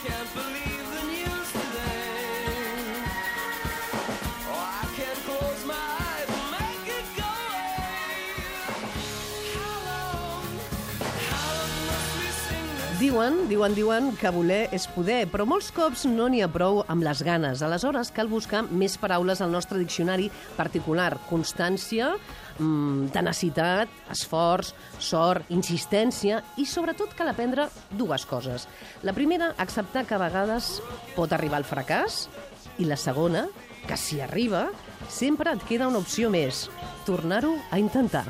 can't believe the news today. Oh, I can't close my eyes and make it go away. How long must we sing this? Diuen que voler és poder, però molts cops no n'hi ha prou amb les ganes. Aleshores, cal buscar més paraules al nostre diccionari particular. Constància, tenacitat, esforç, sort, insistència i, sobretot, cal aprendre dues coses. La primera, acceptar que a vegades pot arribar el fracàs, i la segona, que si arriba, sempre et queda una opció més, tornar-ho a intentar.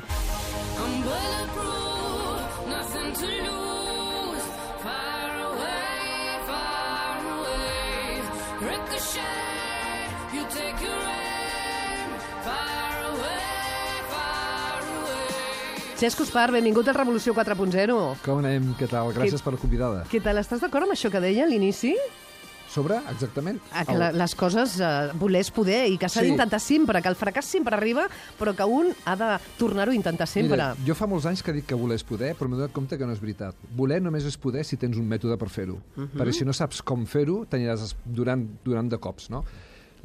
I'm bulletproof, nothing to lose. Far away. Ricochet, you take your aim. Far away. Cesc Uspar, benvingut al Revolució 4.0. Com anem? Què tal? Gràcies per la convidada. Què tal? Estàs d'acord amb això que deia a l'inici? Sobre, exactament? Que les coses voler és poder i que s'ha d'intentar sempre, que el fracàs sempre arriba, però que un ha de tornar-ho a intentar sempre. Mira, jo fa molts anys que dic que voler és poder, però m'he donat compte que no és veritat. Voler només és poder si tens un mètode per fer-ho. Perquè si no saps com fer-ho, t'aniràs durant de cops, no?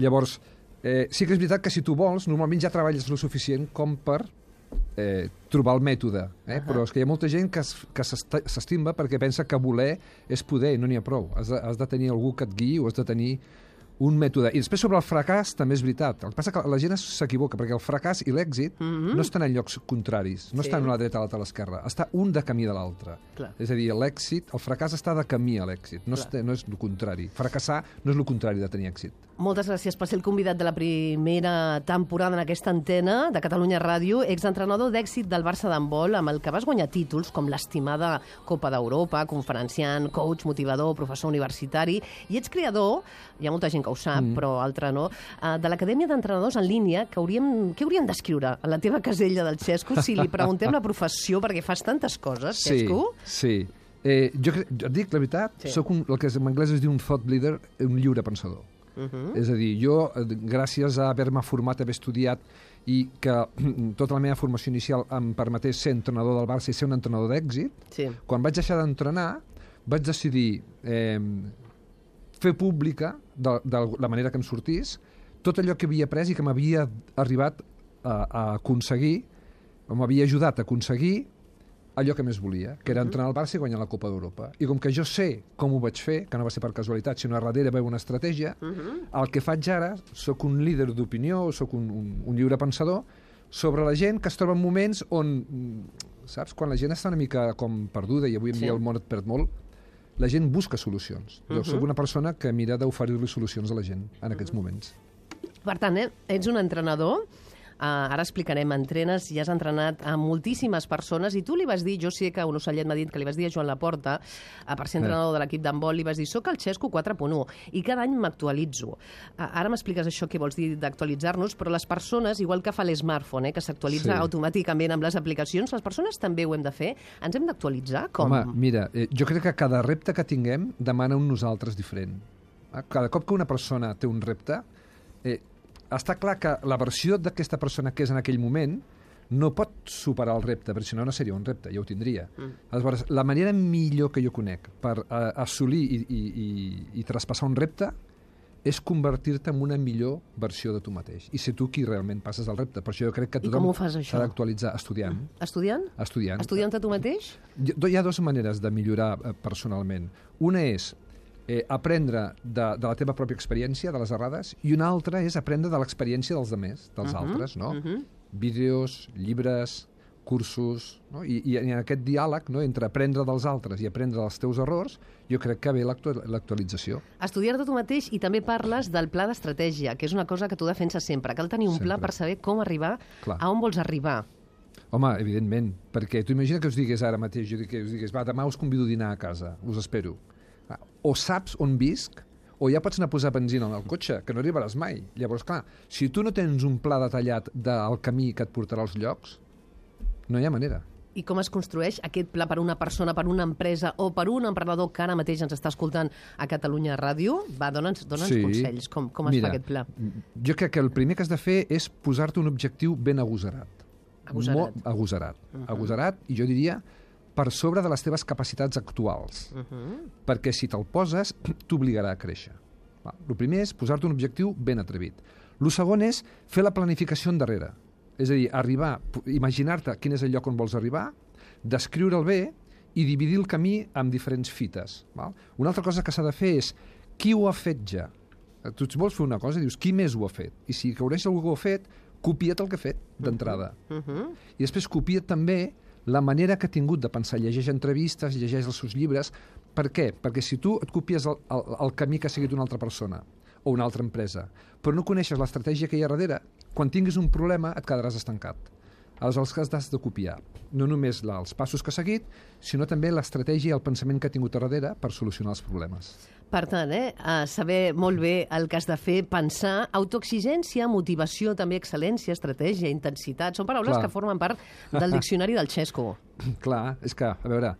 Llavors, sí que és veritat que si tu vols, normalment ja treballes lo suficient com per trobar el mètode, però és que hi ha molta gent que s'estimba perquè pensa que voler és poder i no n'hi ha prou. Has de tenir algú que et guiï o has de tenir un mètode. I després sobre el fracàs també és veritat. El que passa que la gent s'equivoca perquè el fracàs i l'èxit no estan en llocs contraris, no estan a la dreta, a l'altra, a l'esquerra. Està un de camí de l'altre. És a dir, l'èxit, el fracàs està de camí a l'èxit, no és el contrari. Fracassar no és el contrari de tenir èxit. Moltes gràcies per ser el convidat de la primera temporada en aquesta antena de Catalunya Ràdio, exentrenador d'èxit del Barça d'handbol, amb el que vas guanyar títols com l'estimada Copa d'Europa, conferenciant, coach, motivador, professor universitari, i ets creador, hi ha molta gent que ho sap, però altra no, de l'Acadèmia d'Entrenadors en línia, què hauríem d'escriure a la teva casella del Xesco si li preguntem la professió, perquè fas tantes coses, Xesco? Sí. Jo et dic la veritat, soc el que en anglès es diu un thought leader, un lliure pensador. És a dir, jo, gràcies a haver-me format, haver estudiat i que tota la meva formació inicial em permetés ser entrenador del Barça i ser un entrenador d'èxit, quan vaig deixar d'entrenar vaig decidir fer pública, de la manera que em sortís, tot allò que havia après i que m'havia arribat a aconseguir, o m'havia ajudat a aconseguir allò que més volia, que era entrenar al Barça i guanyar la Copa d'Europa. I com que jo sé com ho vaig fer, que no va ser per casualitat, sinó a darrere veu una estratègia, el que faig ara, sóc un líder d'opinió, sóc un lliure pensador, sobre la gent que es troba en moments on, saps, quan la gent està una mica com perduda, i avui en dia el món et perd molt, la gent busca solucions. Jo sóc una persona que mira d'oferir-li solucions a la gent en aquests moments. Per tant, ets un entrenador. Ara explicarem, entrenes i has entrenat a moltíssimes persones i tu li vas dir, jo sé que un ocellet m'ha dit que li vas dir a Joan Laporta, per ser entrenador de l'equip d'handbol, li vas dir, soc el Xesco 4.1 i cada any m'actualitzo. Ara m'expliques això que vols dir d'actualitzar-nos, però les persones, igual que fa l'smartphone, que s'actualitza automàticament amb les aplicacions, les persones també ho hem de fer. Ens hem d'actualitzar? Com? Home, mira, jo crec que cada repte que tinguem demana un nosaltres diferent. Cada cop que una persona té un repte, està clar que la versió d'aquesta persona que és en aquell moment no pot superar el repte, perquè si no, no seria un repte, ja ho tindria. Aleshores, la manera millor que jo conec per assolir i traspassar un repte és convertir-te en una millor versió de tu mateix i ser tu qui realment passes el repte. Per això jo crec que tothom s'ha d'actualitzar estudiant. Estudiant? Estudiant. Estudiant a tu mateix? Hi ha dues maneres de millorar personalment. Una és aprendre de la teva pròpia experiència, de les errades, i una altra és aprendre de l'experiència dels altres, dels altres, no? Vídeos, llibres, cursos, no? I en aquest diàleg, no, entre aprendre dels altres i aprendre dels teus errors, jo crec que ve l'actualització. Estudiar-te tu mateix, i també parles del pla d'estratègia, que és una cosa que tu defenses sempre. Cal tenir un pla per saber com arribar a on vols arribar. Home, evidentment, perquè tu imagina que us digués ara mateix, que us digués, va, demà us convido a dinar a casa, us espero. O saps on visc, o ja pots anar a posar benzina al cotxe, que no arribaràs mai. Llavors, clar, si tu no tens un pla detallat del camí que et portarà als llocs, no hi ha manera. I com es construeix aquest pla per una persona, per una empresa o per un emprenedor que ara mateix ens està escoltant a Catalunya Ràdio? Va, dona'ns consells. Com es fa aquest pla? Jo crec que el primer que has de fer és posar-te un objectiu ben agosarat. Agosarat. Agosarat. Agosarat, i jo diria per sobre de les teves capacitats actuals. Perquè si te'l poses, t'obligarà a créixer. El primer és posar-te un objectiu ben atrevit. El segon és fer la planificació endarrere. És a dir, imaginar-te quin és el lloc on vols arribar, descriure'l bé i dividir el camí amb diferents fites. Una altra cosa que s'ha de fer és qui ho ha fet ja. Tu vols fer una cosa i dius qui més ho ha fet. I si coneixes algú que ho ha fet, copia't el que ha fet d'entrada. I després copia't també la manera que ha tingut de pensar. Llegeix entrevistes, llegeix els seus llibres. Per què? Perquè si tu et copies el camí que ha seguit una altra persona o una altra empresa, però no coneixes l'estratègia que hi ha darrere, quan tinguis un problema et quedaràs estancat. Aleshores has de copiar no només els passos que ha seguit, sinó també l'estratègia i el pensament que ha tingut a darrere per solucionar els problemes. Per tant, saber molt bé el que has de fer, pensar, autoexigència, motivació, també excel·lència, estratègia, intensitat, són paraules que formen part del diccionari del Xesco. Clar, és que, a veure,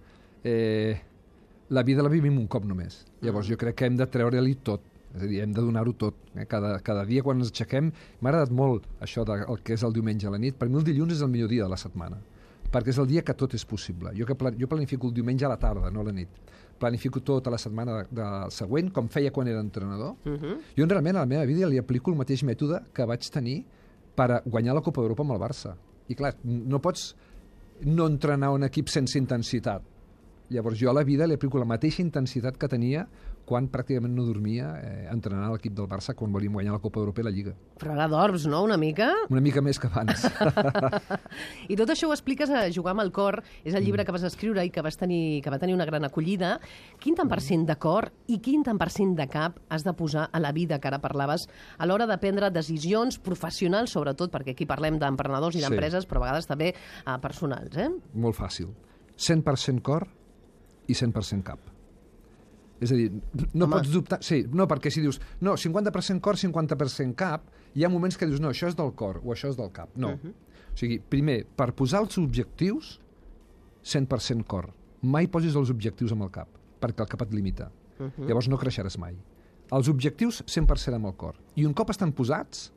la vida la vivim un cop només. Llavors jo crec que hem de treure-li tot. És a dir, hem de donar-ho tot. Cada dia quan ens aixequem, m'ha agradat molt això del que és el diumenge a la nit. Per mi el dilluns és el millor dia de la setmana, perquè és el dia que tot és possible. Jo planifico el diumenge a la tarda, no a la nit. Planifico tota la setmana següent, com feia quan era entrenador. Jo realment a la meva vida li aplico el mateix mètode que vaig tenir per guanyar la Copa d'Europa amb el Barça. I clar, no pots no entrenar un equip sense intensitat. Llavors jo a la vida li aplico la mateixa intensitat que tenia quan pràcticament no dormia entrenant a l'equip del Barça quan volíem guanyar la Copa d'Europa i la Lliga. Però ara dorms, no?, una mica? Una mica més que abans. I tot això ho expliques a Jugar amb el cor, és el llibre que vas escriure i que va tenir una gran acollida. Quin tant per cent de cor i quin tant per cent de cap has de posar a la vida, que ara parlaves, a l'hora de prendre decisions professionals, sobretot, perquè aquí parlem d'emprenedors i d'empreses, però a vegades també personals, Molt fàcil. 100% cor i 100% cap. És a dir, no pots dubtar... Sí, no, perquè si dius, no, 50% cor, 50% cap, hi ha moments que dius, no, això és del cor o això és del cap. No. O sigui, primer, per posar els objectius, 100% cor. Mai posis els objectius amb el cap, perquè el cap et limita. Llavors no creixeràs mai. Els objectius, 100% amb el cor. I un cop estan posats,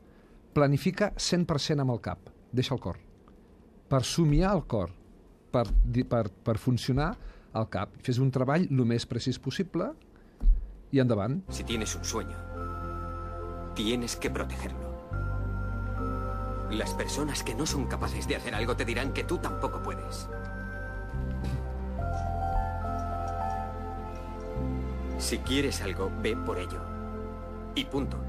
planifica 100% amb el cap. Deixa el cor. Per somiar el cor, per funcionar al cap. Fes un treball el més precís possible i endavant. Si tienes un sueño, tienes que protegerlo. Las personas que no son capaces de hacer algo te dirán que tú tampoco puedes. Si quieres algo, ve por ello. Y punto.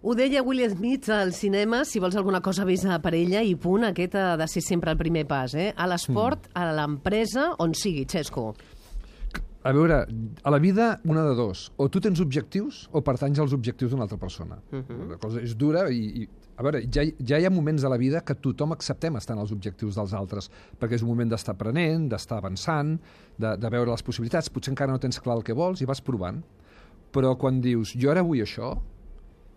Ho deia Will Smith al cinema, si vols alguna cosa vés per ella i punt, aquest ha de ser sempre el primer pas, A l'esport, a l'empresa, on sigui, Xesco. A veure, a la vida, una de dos. O tu tens objectius o pertanys als objectius d'una altra persona. La cosa és dura i a veure, ja hi ha moments a la vida que tothom acceptem estar en els objectius dels altres, perquè és un moment d'estar aprenent, d'estar avançant, de veure les possibilitats. Potser encara no tens clar el que vols i vas provant. Però quan dius, jo ara vull això,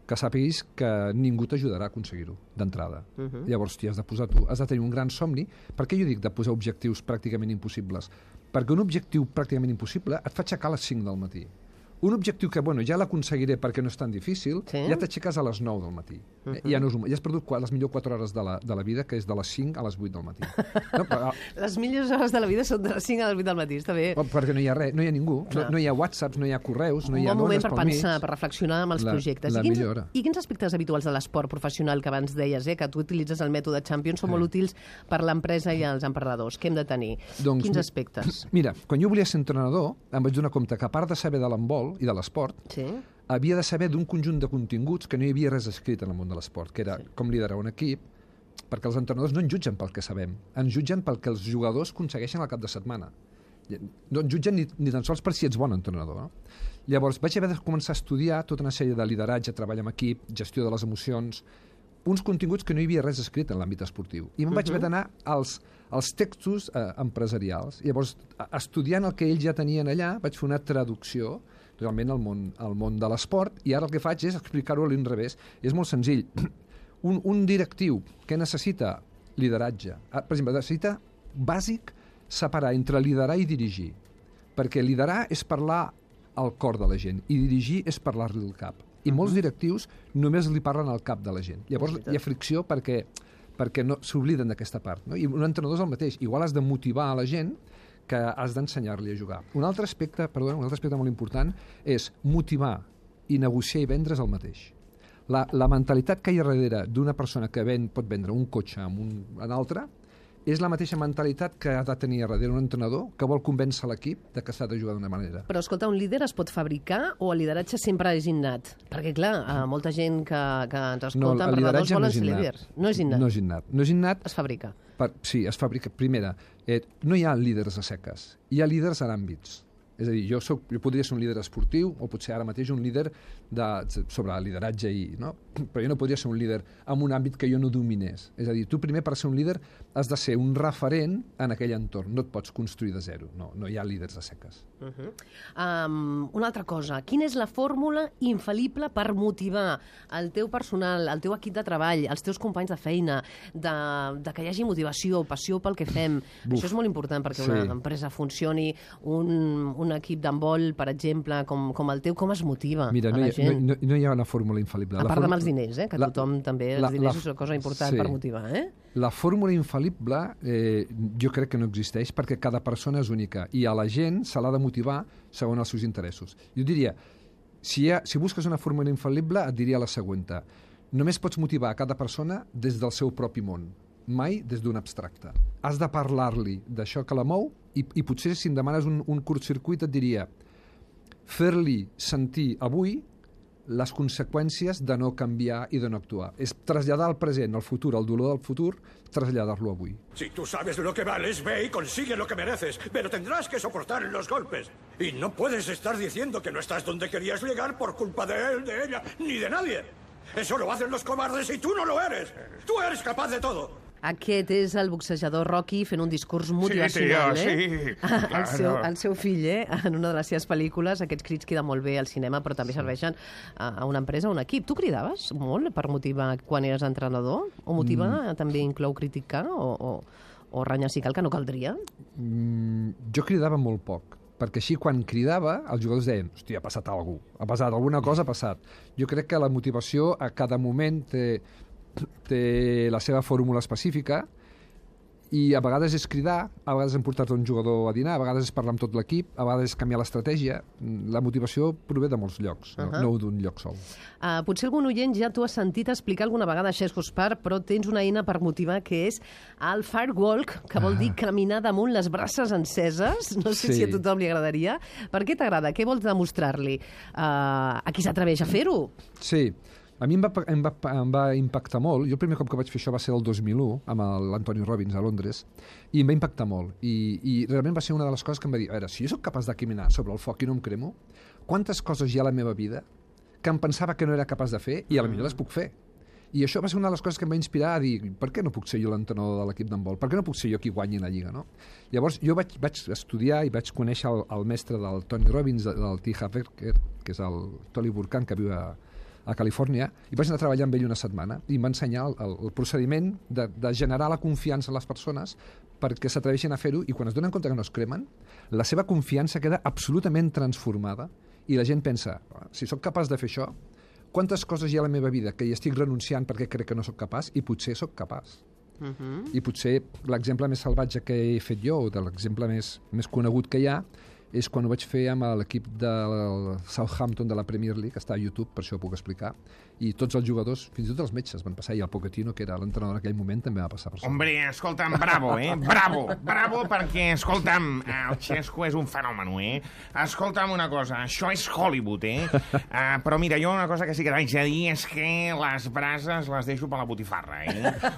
que sàpiguis que ningú t'ajudarà a aconseguir-ho, d'entrada. Llavors t'hi has de posar tu. Has de tenir un gran somni. Per què jo dic de posar objectius pràcticament impossibles? Perquè un objectiu pràcticament impossible et fa aixecar a les 5 del matí. Un objectiu que, ja l'aconseguiré perquè no és tan difícil, ja t'aixeques a les 9 del matí. Ja has perdut les millors 4 hores de la vida, que és de les 5 a les 8 del matí. Les millors hores de la vida són de les 5 a les 8 del matí, està bé. Perquè no hi ha res, no hi ha ningú. No hi ha whatsapps, no hi ha correus, no hi ha un bon moment dones per pensar, per reflexionar amb els projectes. La millora. I quins aspectes habituals de l'esport professional que abans deies, que tu utilitzes el mètode Champions, són molt útils per l'empresa i els emprenedors? Què hem de tenir? Quins aspectes? Mira, quan jo volia ser entrenador, em vaig donar compte que a part de saber de l'handbol i de l'esport, havia de saber d'un conjunt de continguts que no hi havia res escrit en el món de l'esport, que era com liderar un equip, perquè els entrenadors no ens jutgen pel que sabem, ens jutgen pel que els jugadors aconsegueixen al cap de setmana. No ens jutgen ni tan sols per si ets bon entrenador. Llavors vaig haver de començar a estudiar tota una sèrie de lideratge, treball amb equip, gestió de les emocions, uns continguts que no hi havia res escrit en l'àmbit esportiu. I me'n vaig haver d'anar als textos empresarials. Llavors, estudiant el que ells ja tenien allà, vaig fer una traducció realment al món de l'esport, i ara el que faig és explicar-ho a l'inrevés. És molt senzill. Un directiu que necessita lideratge, per exemple, necessita bàsic separar entre liderar i dirigir, perquè liderar és parlar al cor de la gent i dirigir és parlar-li al cap. I molts directius només li parlen al cap de la gent. Llavors hi ha fricció perquè no s'obliden d'aquesta part. No? I un entrenador és el mateix. Igual has de motivar a la gent que has d'ensenyar-li a jugar. Un altre aspecte molt important és motivar i negociar i vendre's el mateix. La mentalitat que hi ha darrere d'una persona que pot vendre un cotxe amb un altre és la mateixa mentalitat que ha de tenir darrere un entrenador que vol convèncer l'equip de que s'ha de jugar d'una manera. Però, escolta, un líder es pot fabricar o el lideratge sempre és innat? Perquè, clar, molta gent que ens escolta, emprenedors volen ser líders. No és innat. No és innat. No és innat. Es fabrica. Sí, es fabrica. Primera, no hi ha líders a seques. Hi ha líders en àmbits. És a dir, jo podria ser un líder esportiu o potser ara mateix un líder sobre lideratge, no? Però jo no podria ser un líder en un àmbit que jo no dominés. És a dir, tu primer per ser un líder has de ser un referent en aquell entorn. No et pots construir de zero. No hi ha líders a seques. Una altra cosa. Quina és la fórmula infal·lible per motivar el teu personal, el teu equip de treball, els teus companys de feina, de que hi hagi motivació, passió pel que fem? Això és molt important perquè una empresa funcioni, un equip d'handbol, per exemple, com el teu, com es motiva Mira, a la gent? no hi ha una fórmula infal·lible. A part amb els diners, que tothom també... Els diners és una cosa important per motivar, La fórmula infal·lible jo crec que no existeix perquè cada persona és única i a la gent se l'ha de motivar segons els seus interessos. Jo diria, si busques una fórmula infal·lible, et diria la següent. Només pots motivar a cada persona des del seu propi món, mai des d'un abstracte. Has de parlar-li d'això que la mou i potser si em demanes un curtcircuit et diria fer-li sentir avui les conseqüències de no canviar i de no actuar. És traslladar al present, al futur, el dolor del futur, traslladar-lo avui. Si tú sabes de lo que vales, ve y consigue lo que mereces, pero tendrás que soportar los golpes. Y no puedes estar diciendo que no estás donde querías llegar por culpa de él, de ella, ni de nadie. Eso lo hacen los cobardes y tú no lo eres. Tú eres capaz de todo. Aquest és el boxejador Rocky fent un discurs motivacional, sí, claro. El seu fill, en una de les seves pel·lícules, aquests crits queden molt bé al cinema, però també serveixen a una empresa, a un equip. Tu cridaves molt per motivar quan eres entrenador? O motivar també inclou criticar o renyar si cal, que no caldria? Jo cridava molt poc, perquè així quan cridava els jugadors deien, hòstia, ha passat alguna cosa, alguna cosa ha passat. Jo crec que la motivació a cada moment té la seva fórmula específica i a vegades és cridar, a vegades hem portat un jugador a dinar, a vegades és parlar amb tot l'equip, a vegades és canviar l'estratègia. La motivació prové de molts llocs, no d'un lloc sol. Potser algun oient ja t'ho has sentit explicar alguna vegada a Xesco Espart, però tens una eina per motivar que és el firewalk, que vol dir caminar damunt les braces enceses. No sé si a tothom li agradaria. Per què t'agrada? Què vols demostrar-li? A qui s'atreveix a fer-ho? Sí. A mi em va impactar molt. Jo el primer cop que vaig fer això va ser el 2001, amb l'Anthony Robbins a Londres, i em va impactar molt. I realment va ser una de les coses que em va dir, a veure, si jo sóc capaç de caminar sobre el foc i no em cremo, quantes coses hi ha a la meva vida que em pensava que no era capaç de fer i potser les puc fer. I això va ser una de les coses que em va inspirar a dir, per què no puc ser jo l'entrenador de l'equip d'handbol? Per què no puc ser jo qui guanyi la lliga, no? Llavors jo vaig estudiar i vaig conèixer el mestre del Tony Robbins, del T. Harv Eker, que és el Tolly Burkan, que viu a Califòrnia, i vaig anar a treballar amb ell una setmana i em va ensenyar el procediment de generar la confiança a les persones perquè s'atreveixin a fer-ho i quan es donen compte que no es cremen, la seva confiança queda absolutament transformada i la gent pensa, si sóc capaç de fer això, quantes coses hi ha a la meva vida que hi estic renunciant perquè crec que no sóc capaç i potser sóc capaç. I potser l'exemple més salvatge que he fet jo, o de l'exemple més conegut que hi ha, és quan ho vaig fer amb l'equip del Southampton de la Premier League, que està a YouTube, per això ho puc explicar, i tots els jugadors, fins i tot els metges van passar, i el Pochettino, que era l'entrenador en aquell moment, també va passar per sobre. Hombre, escolta'm, bravo, bravo, perquè, escolta'm, el Xesco és un fenomen, Escolta'm una cosa, això és Hollywood, però mira, jo una cosa que sí que t'haig de dir és que les brases les deixo per la botifarra,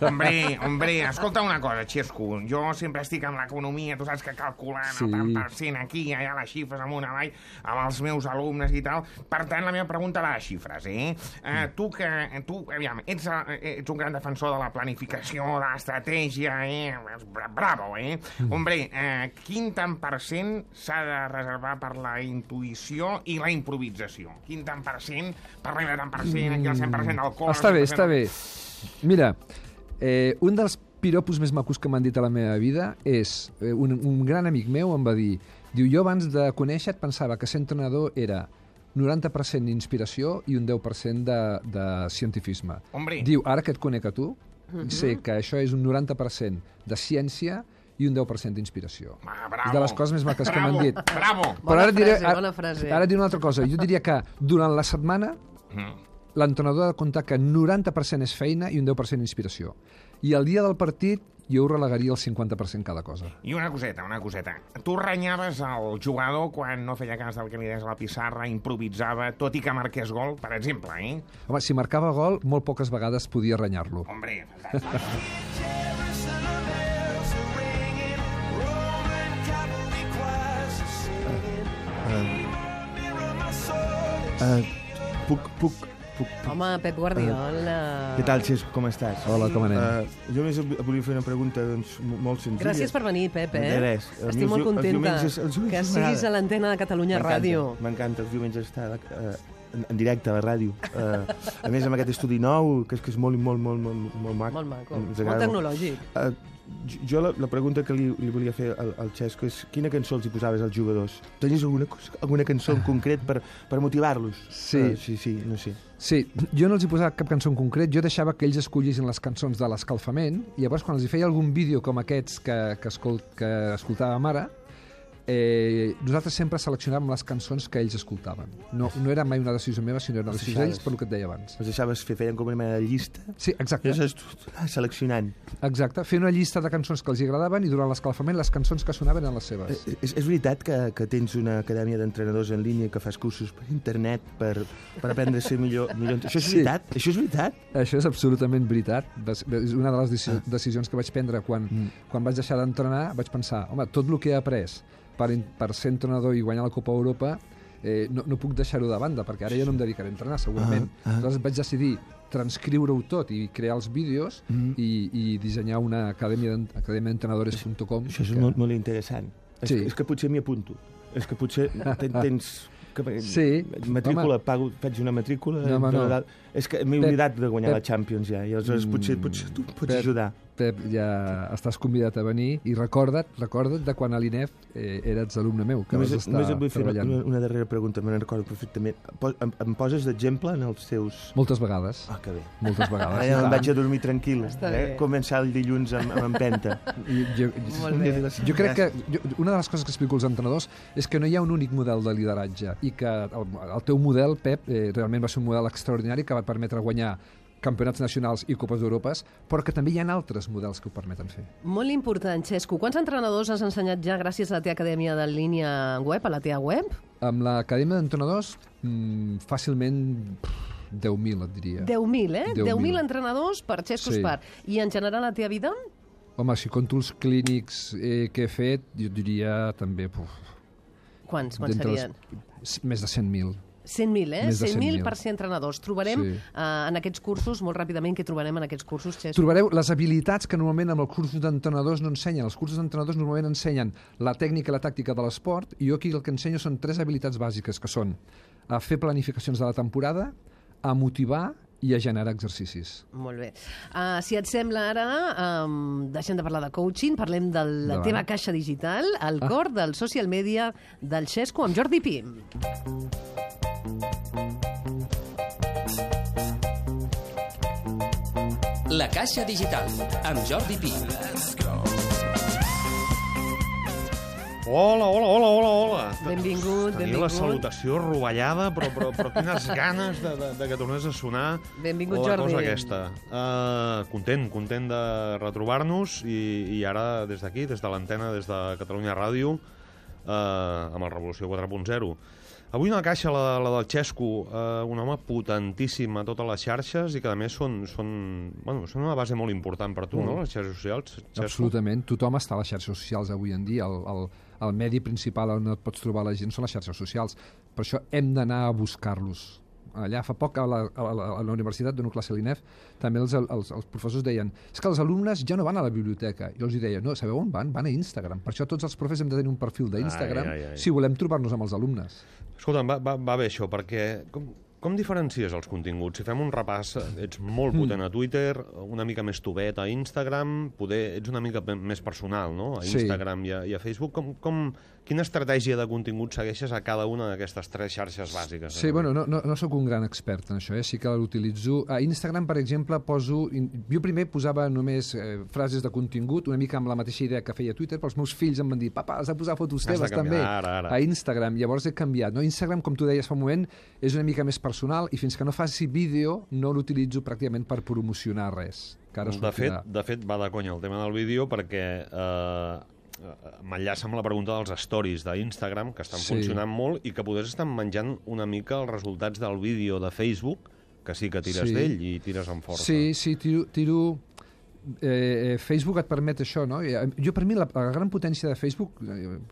Hombre, escolta una cosa, Xesco, jo sempre estic amb l'economia, tu saps que calculant el tant per cent aquí, allà les xifres amunt avall, amb els meus alumnes i tal. Per tant, la meva pregunta va de xifres, Tu, aviam, ets un gran defensor de la planificació, de l'estratègia, bravo, Hombre, quin tant per cent s'ha de reservar per la intuïció i la improvisació? Quin tant per cent, parlem de tant per cent, aquí el 100% del cor... Està bé. Mira, un dels piropos més macos que m'han dit a la meva vida és, un gran amic meu em va dir, jo abans de conèixer et pensava que ser entrenador era 90% d'inspiració i un 10% de cientifisme. Hombre. Diu, ara que et conec a tu, sé que això és un 90% de ciència i un 10% d'inspiració. Bravo. És de les coses més maques que m'han dit. Bravo. Bona frase. Ara diré una altra cosa. Jo diria que durant la setmana l'entrenador ha de comptar que 90% és feina i un 10% inspiració. I el dia del partit jo ho relegaria al 50% cada cosa. I una coseta. Tu renyaves el jugador quan no feia cas del que li deies a la pissarra, improvisava, tot i que marqués gol, per exemple, Home, si marcava gol, molt poques vegades podia renyar-lo. Hombre, Puc... Home, Pep Guardiola. Què tal, Xesco, com estàs? Hola, com anem? Jo només volia fer una pregunta doncs, molt senzilla. Gràcies per venir, Pep, De res. Estic molt contenta que siguis a l'antena de Catalunya Ràdio. M'encanta, els diumenges estar en directe a la ràdio. A més, amb aquest estudi nou, que és molt maco. Molt maco, molt tecnològic. Jo la pregunta que li volia fer al Xesco és quina cançó els hi posaves als jugadors? Tenies alguna cançó en concret per motivar-los? Sí, no sé. Sí, jo no els hi posava cap cançó en concret, jo deixava que ells escollissin les cançons de l'escalfament i llavors quan els hi feia algun vídeo com aquests que escoltàvem ara, nosaltres sempre seleccionàvem les cançons que ells escoltaven. No era mai una decisió meva, sinó una decisió d'ells, per el que et deia abans. Els deixaves feien com una mena de llista? Sí, exacte. Seleccionant. Exacte, fer una llista de cançons que els agradaven i durant l'escalfament les cançons que sonaven eren les seves. És veritat que tens una acadèmia d'entrenadors en línia que fas cursos per internet per aprendre a ser millor? Això és veritat? Això és veritat? Això és absolutament veritat. És una de les decisions que vaig prendre quan vaig deixar d'entrenar. Vaig pensar, home, tot el que he après per ser entrenador i guanyar la Copa Europa no puc deixar-ho de banda, perquè ara ja no em dedicaré a entrenar, segurament. Aleshores vaig decidir transcriure-ho tot i crear els vídeos i dissenyar una acadèmia d'entrenadores.com. Això és molt interessant. És que potser m'hi apunto. És que potser tens... matrícula, faig una matrícula. No. És que m'he oblidat de guanyar la Champions ja, i aleshores potser tu pots ajudar. Pep, ja estàs convidat a venir i recorda't de quan a l'INEF eres alumne meu, que vas estar treballant. Només et vull fer una darrera pregunta, me'n recordo perfectament. Em poses d'exemple en els teus... Moltes vegades. Que bé. Moltes vegades. Ara em vaig a dormir tranquil. Començar el dilluns amb empenta. Jo crec que una de les coses que explico als entrenadors és que no hi ha un únic model de lideratge i que el teu model, Pep, realment va ser un model extraordinari que va permetre guanyar campionats nacionals i Copes d'Europes, però que també hi ha altres models que ho permeten fer. Molt important, Xesco. Quants entrenadors has ensenyat ja gràcies a la teva acadèmia de línia web, a la teva web? Amb l'acadèmia d'entrenadors, fàcilment 10.000, et diria. 10.000, 10.000 entrenadors per Xesco Espart. I en general la teva vida? Home, si conto els clínics que he fet, jo diria també... Quants serien? Més de 100.000. 100.000, 100.000 per ser entrenadors. Trobarem en aquests cursos, molt ràpidament, què trobarem en aquests cursos, Xesco? Trobareu les habilitats que normalment amb els cursos d'entrenadors no ensenyen. Els cursos d'entrenadors normalment ensenyen la tècnica i la tàctica de l'esport, i jo aquí el que ensenyo són 3 habilitats bàsiques, que són a fer planificacions de la temporada, a motivar i a generar exercicis. Molt bé. Si et sembla ara, deixem de parlar de coaching, parlem de la teva caixa digital, el cor del social media del Xesco amb Jordi Pi. La caixa digital amb Jordi Pi. Hola. Benvingut. Tenia la salutació rovellada, però quines ganes de que tornés a sonar Benvingut, la Jordi. cosa aquesta. Content de retrobar-nos i ara des d'aquí, des de l'antena, des de Catalunya Ràdio, amb el Revolució 4.0. Avui una caixa, la del Xesco, un home potentíssim a totes les xarxes i que a més són una base molt important per tu, no?, les xarxes socials. Xesco? Absolutament. Tothom està a les xarxes socials avui en dia. El medi principal on et pots trobar la gent són les xarxes socials. Per això hem d'anar a buscar-los. Allà fa poc a la universitat, dono classe a l'INEF, també els professors deien és que els alumnes ja no van a la biblioteca. Jo els deia, no, sabeu on van? Van a Instagram. Per això tots els profes hem de tenir un perfil d'Instagram si volem trobar-nos amb els alumnes. Escolta'm, va bé això, perquè com diferencies els continguts? Si fem un repàs, ets molt potent a Twitter, una mica més tovet a Instagram, poder ets una mica més personal, no?, a Instagram i a Facebook. Com Quina estratègia de contingut segueixes a cada una d'aquestes 3 xarxes bàsiques? Sí, bueno, no sóc un gran expert en això, sí que l'utilitzo. A Instagram, per exemple, jo primer posava només frases de contingut, una mica amb la mateixa idea que feia Twitter, però els meus fills em van dir, papa, has de posar fotos teves també a Instagram. Llavors he canviat. No? Instagram, com tu deies fa un moment, és una mica més personal i fins que no faci vídeo no l'utilitzo pràcticament per promocionar res. De fet, va de conya el tema del vídeo perquè m'enllaça amb la pregunta dels stories d'Instagram, que estan funcionant molt i que potser estan menjant una mica els resultats del vídeo de Facebook, que sí que tires d'ell i tires amb força. Sí, tiro... Facebook et permet això, no? Jo, per mi, la gran potència de Facebook,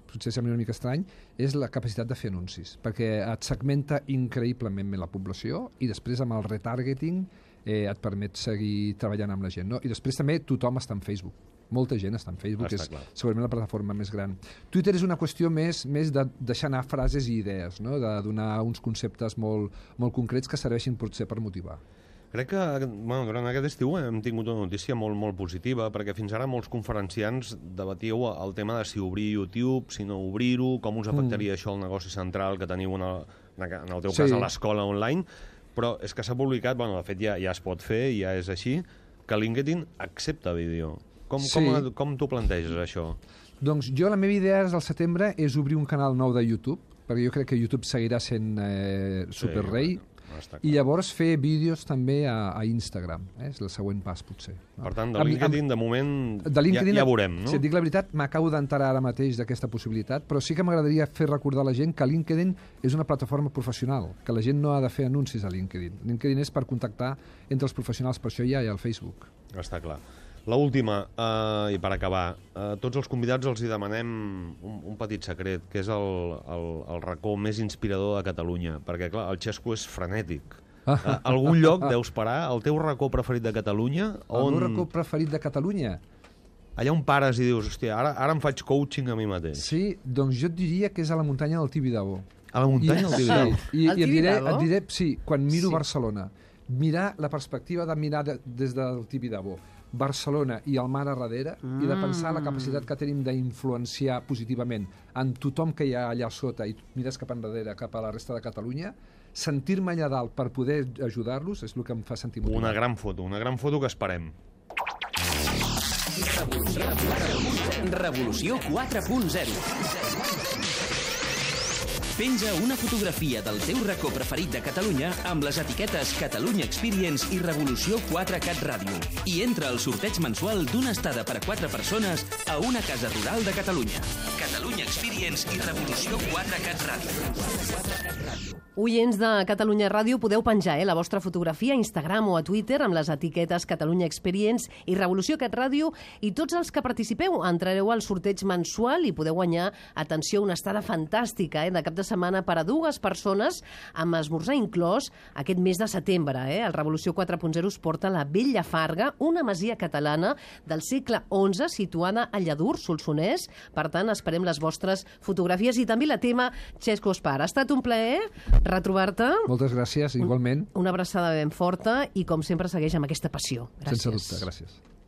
potser sembla una mica estrany, és la capacitat de fer anuncis, perquè et segmenta increïblement la població i després amb el retargeting et permet seguir treballant amb la gent, no? I després també tothom està en Facebook. Molta gent està en Facebook, és segurament la plataforma més gran. Twitter és una qüestió més de deixar anar frases i idees, no? De donar uns conceptes molt concrets que serveixin potser per motivar. Crec que durant aquest estiu hem tingut una notícia molt positiva, perquè fins ara molts conferenciants debatíeu el tema de si obrir YouTube, si no obrir-ho, com us afectaria això al negoci central que teniu en el teu cas a l'escola online, però és que s'ha publicat, de fet ja es pot fer, ja és així, que LinkedIn accepta vídeo. Com t'ho planteges, això? Doncs jo la meva idea al setembre és obrir un canal nou de YouTube, perquè jo crec que YouTube seguirà sent superrei, i llavors fer vídeos també a Instagram. És el següent pas, potser. Per tant, de LinkedIn, de moment, ja veurem, no? Si et dic la veritat, m'acabo d'enterar ara mateix d'aquesta possibilitat, però sí que m'agradaria fer recordar a la gent que LinkedIn és una plataforma professional, que la gent no ha de fer anuncis a LinkedIn. LinkedIn és per contactar entre els professionals, per això hi ha el Facebook. Està clar. L'última, i per acabar, tots els convidats els hi demanem un petit secret, que és el racó més inspirador de Catalunya, perquè, clar, el Xesco és frenètic. Algun lloc deus parar? El teu racó preferit de Catalunya? El meu racó preferit de Catalunya? Allà on pares i dius, hòstia, ara em faig coaching a mi mateix. Sí, doncs jo et diria que és a la muntanya del Tibidabo. A la muntanya del Tibidabo? I et diré, sí, quan miro Barcelona, mirar la perspectiva de mirar des del Tibidabo, Barcelona i el mar a darrere, i de pensar la capacitat que tenim d'influenciar positivament en tothom que hi ha allà sota i mires cap enrere, cap a la resta de Catalunya, sentir-me allà dalt per poder ajudar-los és el que em fa sentir motivat. Una gran foto que esperem. Revolució 4.0. Penja una fotografia del teu racó preferit de Catalunya amb les etiquetes Catalunya Experience i Revolució 4Cat Ràdio i entra al sorteig mensual d'una estada per a 4 persones a una casa rural de Catalunya. Catalunya Experience i Revolució 4Cat Ràdio. Oients de Catalunya Ràdio, podeu penjar la vostra fotografia a Instagram o a Twitter amb les etiquetes Catalunya Experience i Revolució Cat Ràdio, i tots els que participeu entrareu al sorteig mensual i podeu guanyar, atenció, una estada fantàstica de cap de setmana per a 2 persones amb esmorzar inclòs aquest mes de setembre. El Revolució 4.0 us porta a la Bella Farga, una masia catalana del segle XI situada a Lladurs, Solsonès. Per tant, esperem les vostres fotografies i també la tema Xesco Espar. Ha estat un plaer retrobar-te. Moltes gràcies, igualment. Una abraçada ben forta i, com sempre, segueix amb aquesta passió. Gràcies. Sense dubte, gràcies.